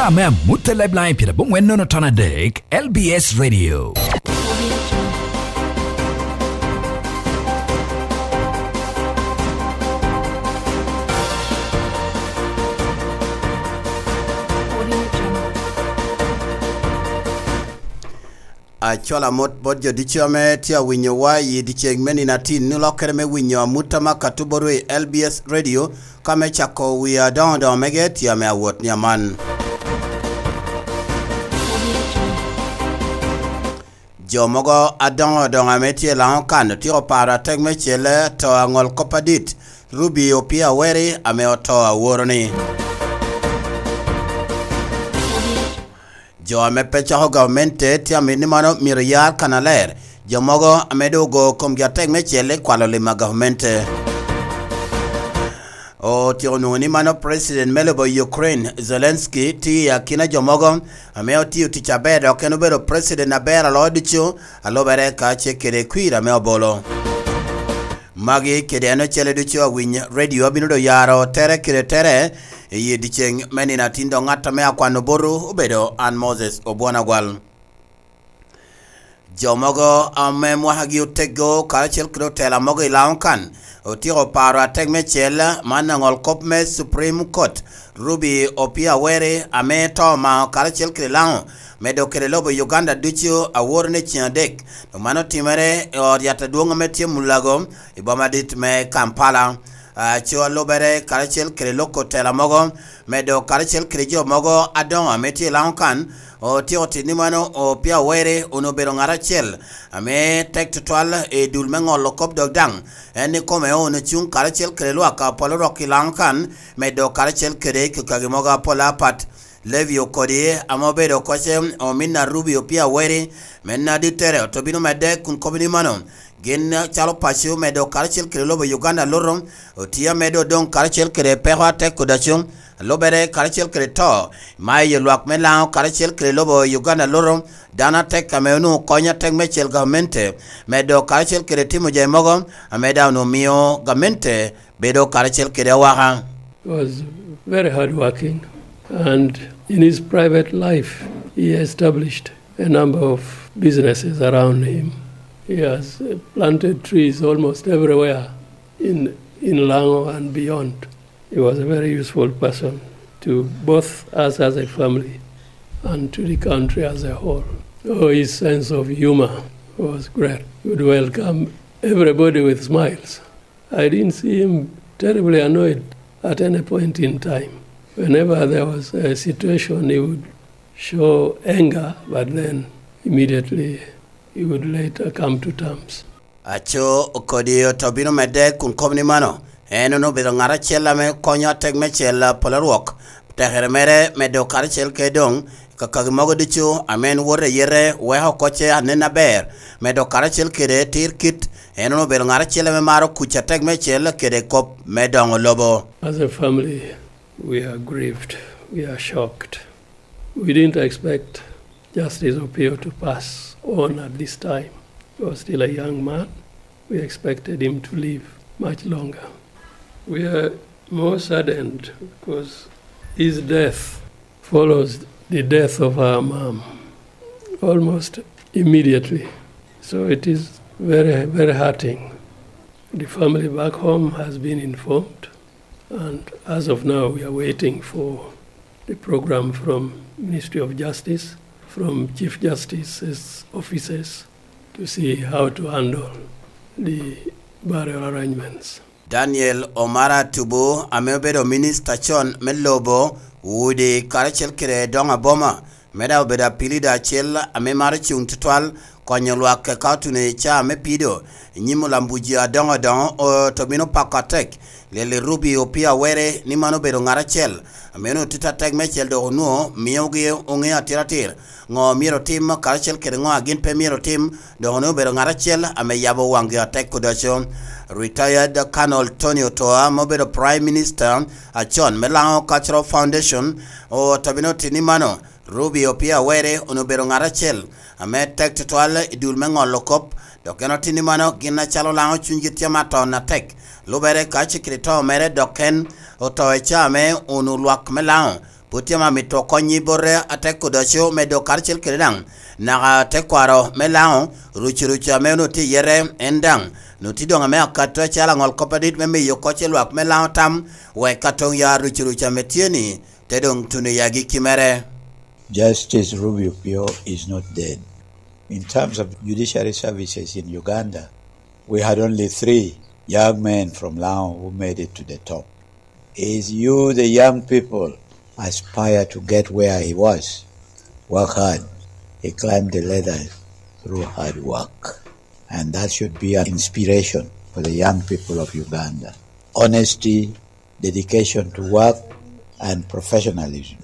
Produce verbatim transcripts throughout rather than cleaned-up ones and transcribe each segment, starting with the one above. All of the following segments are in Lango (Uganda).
Ame amut a Lifeline pyerabongwen nono ton adek, L B S Radio. Acwalo amut bot jo ducu ame tye awinyowa i dyeceŋ me nino atin, ni lokkere me winyo amut ame akato botwu i L B S Radio, ka me cako wi adoŋo doŋo mege tye ame awot ni aman. Jo mogo adoŋo doŋo ame tye i Laŋo kan otyeko paro atek me celle to aŋol kop adit, Ruby Opia Weri ame oto aworo-ni. Jo ame pe cako gamente tye amit ni mano myero yar kannaler. Jo mogo ame doŋ ogo komgi atek me celle kwalo lim a gamente. Otyeko nwoŋo ni mano president me lobo Ukraine, Zelensky, tye i akina jo mogo ame otiyo tic aber, dok en obedo president aber a loyo ducu, a lubere ka ce kede kwir ame obolo. Magi kede en ocele ducu awiny radio abino doŋ yaro tere kede tere i dyeceŋ me nino atin, dok ŋat ame akwano botwu obedo an Moses Obwon Agwal. Jo mogo ame mwakagi otego karacel kede otela mogo i Laŋo kan otyeko paro atek me cel man aŋol kop me Supreme Court, Ruby Opia Weri, ame to omao karacel kede Laŋo, medo kede lobo Uganda ducu aworo ni ceŋ adek. Dok man otimere i ot yat adwoŋ ame tye Mulago i boma dit me Kampala. Aco a lubere karacel kede loko otela mogo, medo karacel kede jo mogo adoŋo ame tye i Laŋo kan, otyeko tito ni mano Opia Weri onwoŋo obedo ŋat acel ame tek tutwal i dul me ŋolo kop, dok daŋ en ikome onwoŋo cuŋ karacel kede lwak apol orok i Laŋo kan, medo karacel kede kekagi mogo apol apat. Levi Okodi ame obedo koce omin a Ruby Opia Weri, me nadittere oto bino medde kun kobo ni mano, gin calo paco medo karacel kede lobo Uganda luto, otye amedo odoŋ karacel kede peko atek kudaco, lubere karacel kede to, ma i lwak me Laŋo karacel kede lobo Uganda luto, dano atek ame onwoŋo konyo atek me cel gamente, medo karacel kede timo jami mogo ame daŋ onwoŋo mio gamente bedo karacel kede awaka. He was very hardworking, and in his private life, he established a number of businesses around him. He has uh, planted trees almost everywhere in, in Lango and beyond. He was a very useful person to both us as a family and to the country as a whole. Oh, his sense of humor was great. He would welcome everybody with smiles. I didn't see him terribly annoyed at any point in time. Whenever there was a situation, he would show anger, but then immediately he would later come to terms. Aco kodi oto bino medde kun kobo ni mano, en onwoŋo obedo ŋat acel ame konyo atek me cel polo rwok. Tekere mere medo karacel ke doŋ kakagi mogo ducu ame en woto i yete weko kocce anen aber, medo karacel kede tir kit. En onwoŋo obedo ŋat acel ame maro kuc atek me cel kede kop me doŋo lobo. As a family, we are grieved. We are shocked. We didn't expect Justice Opio to pass on at this time. He was still a young man. We expected him to live much longer. We are more saddened because his death follows the death of our mom almost immediately. So it is very, very hurting. The family back home has been informed, and as of now, we are waiting for the program from Ministry of Justice, from Chief Justice's offices, to see how to handle the burial arrangements. Daniel Omara Tubu, ame obedo minista con me lobo, udi, karacel kede doŋ aboma, me daŋ obedo apilida acel ame maro cuŋ tutwal konyo lwak ka otuno i caa me pido i nyim olambuji adoŋo adoŋo, oto bino pako atek Lili Ruby Opia Were ni man obedo ŋat acel ame onwoŋo tito atek meicel, dok onwoŋo miogi oŋeo atiratir ŋo myero otim karacel kede ŋo a gin pe myero otim, dok onwoŋo obedo ŋat acel ame yabo waŋgi atek kudoco. Retired Colonel Tony Otoa, ma obedo Prime Minister acon me Lango Cultural Foundation, oto bino tito ni mano, Ruby Opia Were onwoŋo obedo ŋat acel ame tek tutwal i dul me ŋolo kop, dok en otito ni mano gin acalo Lango cunygi tye amaton atek. Lubere ka cikiri to mere, dok en oto i caa me unu lwak me Lango, Pwod tye ame amito kony i bote atek odoco medo karacel kede daŋ naka tekwaro me Laŋo, rucurucu ame onwoŋo tye i yete en daŋ onwoŋo tye doŋ ame akato acalo aŋol kop adit me miyo kocce lwak me Laŋo tam, wek ka toŋ ya rucurucu ame tye-ni te doŋ tuno i agikki mere. Justice Ruby Opio is not dead. In terms of judiciary services in Uganda, we had only three young men from Laŋo who made it to the top. Is you, the young people, aspire to get where he was. Work hard. He climbed the ladder through hard work. And that should be an inspiration for the young people of Uganda. Honesty, dedication to work, and professionalism.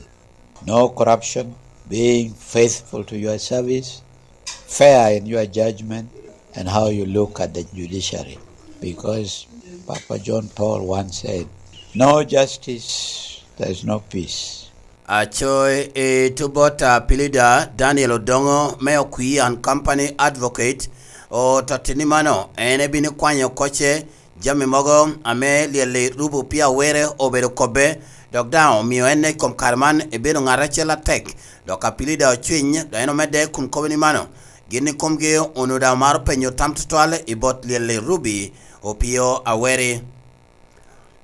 No corruption, being faithful to your service, fair in your judgment, and how you look at the judiciary. Because Papa John Paul once said, "No justice, there is no peace." Aco i tubot a Pilida Daniel Odongo me Okwi and Company Advocate ototti ni mano en ebino kwanyo kocce jami mogo ame lyel-li rubo pii awere obedo kobbe, dok daŋ omio en i kom kare man ebedo ŋat acel atek, dok Apilida ocwiny, dok en omedde kun kobo ni mano, gin i komgi onwoŋo daŋ omaro penyo tam tutwal i bot lyel-li rubi opio aweri.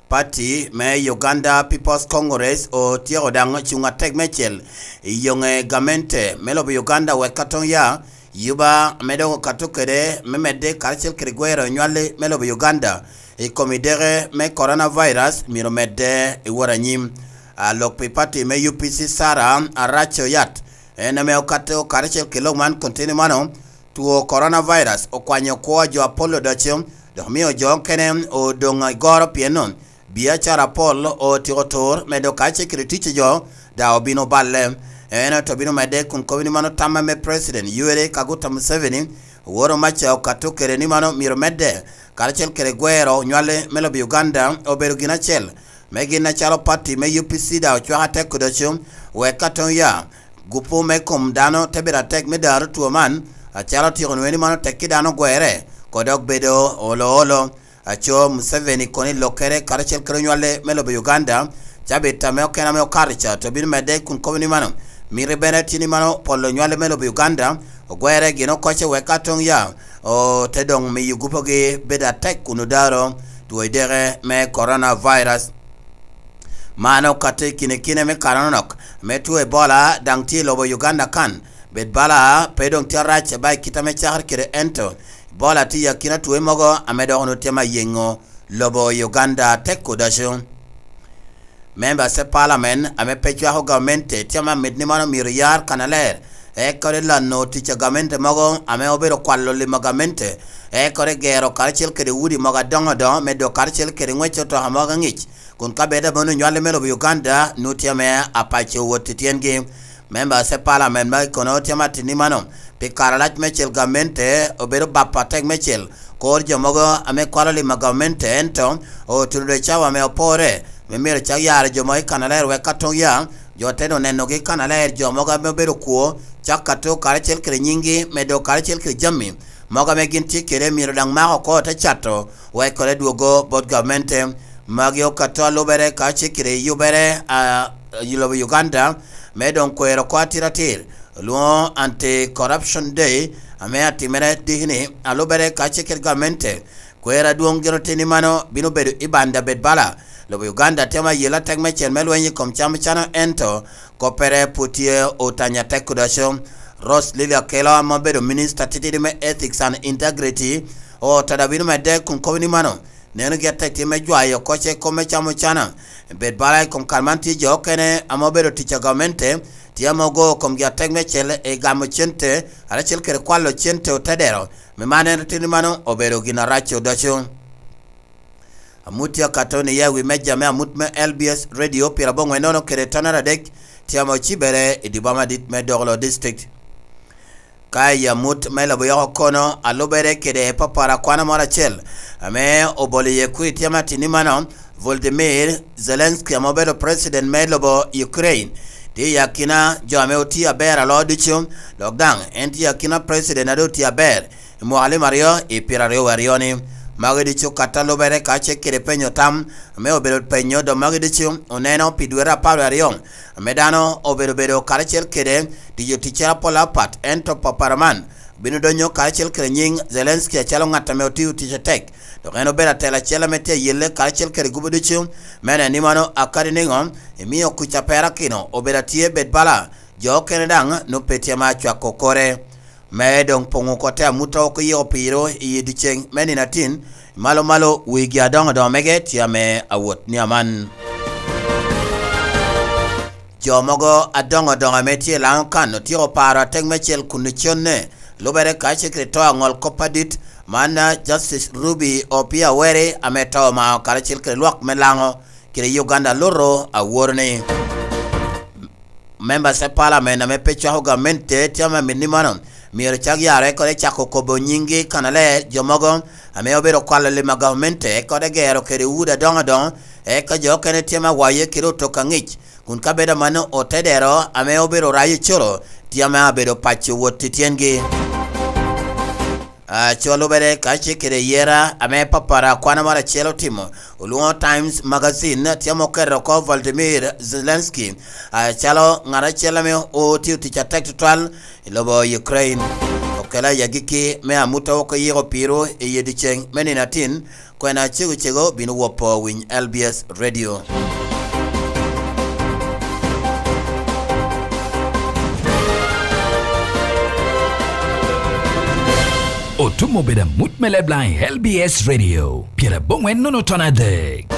Pati me Uganda People's Congress otyeko daŋ cuŋ atek meicel i yoŋe gamente me lobo Uganda wek ka toŋ ya yuba ame dok okato kede me medde karacel kede gwero nywalli me lobo Uganda i kom ideke me coronavirus myero medde i wot anyim. A lok pi pati me U P C Sarah Arac Oyat, en ame okato karacel kede lok man kun tini mano, two coronavirus okwanyo kwo a jo apol odoco, dok omio jo okene odoŋ i goro pien biacara apol otyeko tur medo kacel kede tic a jo, daŋ obino balle. Ento obino medde kun kobo ni mano tamma me President Yoweri Kaguta Museveni, oworo maca okato kede ni mano myero medde, karacel kede gwero nywalli me lobo Uganda obedo gin acel, me gin acalo pati me U P C daŋ ocwako atek odoco, wek ka toŋ ya gupu me kom dano te bedo atek me daro two man, acalo otyeko nwoŋo ni mano tekki dano ogwere, ko dok bedo olo olo. Aco Museveni kono i lokkere karacel kede onywale me lobo Uganda, cabit ame okene ame okato ca to bino medde kun kobo ni mano, miti bene tye ni mano polo onywale me lobo Uganda ogwere gin okocce wek ka toŋ ya ote doŋ miyo gupogi bedo atek kun odaro two ideke me coronavirus. Man okato i kine kine me kare anonok me two Ebola daŋ tye i lobo Uganda kan. Bed bala pe doŋ tye arac ba i kit ame cakere kede ento Ebola tye i akina two mogo ame dok onwoŋo tye ma yeŋo lobo Uganda atek odoco. Members of Parliament ame pe cwako gamente tye ame amito ni man omyero yar kannaler, ekore lano tic a gamente mogo ame obedo kwalo lim a gamente, ekore gero karacel kede udi mogo adoŋo adoŋo me dok karacel kede ŋwec otoka mogo aŋic, kun ka bed ame onwoŋo nywalli me lobo Uganda nwoŋo tye ame apaco wot i tyengi. Members of Parliament ma i kono tye ame ateni mano pi kare alac mecel gamente obedo bap atek mecel, kor jo mogo ame kwalo lim a gamente ento otuno dwe cawa ame opore me myero cak yaro jo mogo i kannaler wek ka toŋ ya jo te onenogi i kannaler jo mogo ame obedo kwo cak ka to karacel kede nyinggi medo karacel kede jami mogo ame gin tye kede myero daŋ mak oko te cato wek kore dwogo bot gamente. Magi okato alubere ka cikiri yubere a i lobo Uganda me doŋ kwero oko atiratir olwoŋo Anti Corruption Day ame atimere dikini alubere ka cikiri gamente. Kwero adwoŋ gin oteni mano bino bedo i banda bed bala. Lobo Uganda temo ayela tek mecel me lweny i kom cam cano ento koppere pwod tye otanya tek kudaco. Rose Lily Akello ame obedo minista titidi me Ethics and Integrity otada bino medde kun kobo ni mano neno gi atek tye me jwayo kocce kom me camo cana. Bed bala i kom kare man tye jo okene ame obedo tic a gamente tye ame ogo komgi atek me cel i gamo cente aracel kede kwalo cente otedero me man en oteni mano obedo gin arac odoco. Amut tye akato ni ya wi meja me amut me L B S Radio pira bongwe nono kede tonera dek tye ame ocibere i diboma dit me Dogolo District. Ka i amut me lobo yoko kono alubere kede papara kwano moro acel ame obolo iye kwi tye matini mano, Volodymyr Zelensky ame obedo president me lobo Ukraine tye i akina jo ame otye aber alo ducu, dok daŋ en tye i akina president ado otye aber i mwaka lim aryo i pyeraryo aryo ni. Magi ducu ka te lubere ka ce kede penyo tam ame obedo penyo, dok magi ducu oneno pi dwete apar aryo ame dano obedo bedo karacel kede tiyo ticcere apol apat, ento papara man bino donyo karacel kede nyiŋ Zelensky acalo ŋat ame otio tic atek, dok en obedo atela acel ame tye ayelle karacel kede gubo ducu. Me neno ni mano akadi niŋo emio kuc aperakino obedo atye bed bala jo okene daŋ nwoŋo pe tye ma acwako kore. Me doŋ poŋo kote amuta oko i oko piro i dyeceŋ me nino atin, malo malo wigi adoŋo doŋo mege tye ame awot ni aman. Jo mogo adoŋo doŋo ame tye i Laŋo kan otyeko paro atek me cel kun iconne, lubere ka ce kede to aŋol kop adit man, Justice Ruby Opia Were ame to omao karacel kede lwak me Laŋo kede Uganda luto aworo ni. Members of Parliament ame pe cwako gamente tye ame mit ni mano myero cak yare kode cako kobo nyinggi kanaler jo mogo ame obedo kwalo lim a gamente kode gero kede udi adoŋo adoŋo, eka jo okene tye ame awaye kede otok aŋic, kun ka bedo amanno otedero ame obedo rayo coro tye ame abedo paco wot i tyengi. Aco lubere ka ce kede yera ame papara kwana moro acel otimo, olwoŋo Times Magazine tye ame oketo oko Volodymyr Zelensky acalo ŋat acel ame otio tic atek tutwal i lobo Ukraine. Okela i agikki me amuta oko yiko piro i dyeceŋ me nino atin, kwena cego cego bino wopo winy L B S Radio. Otum obedo amut me leb laŋ i L B S Radio, pyeraboŋwen nono ton adek.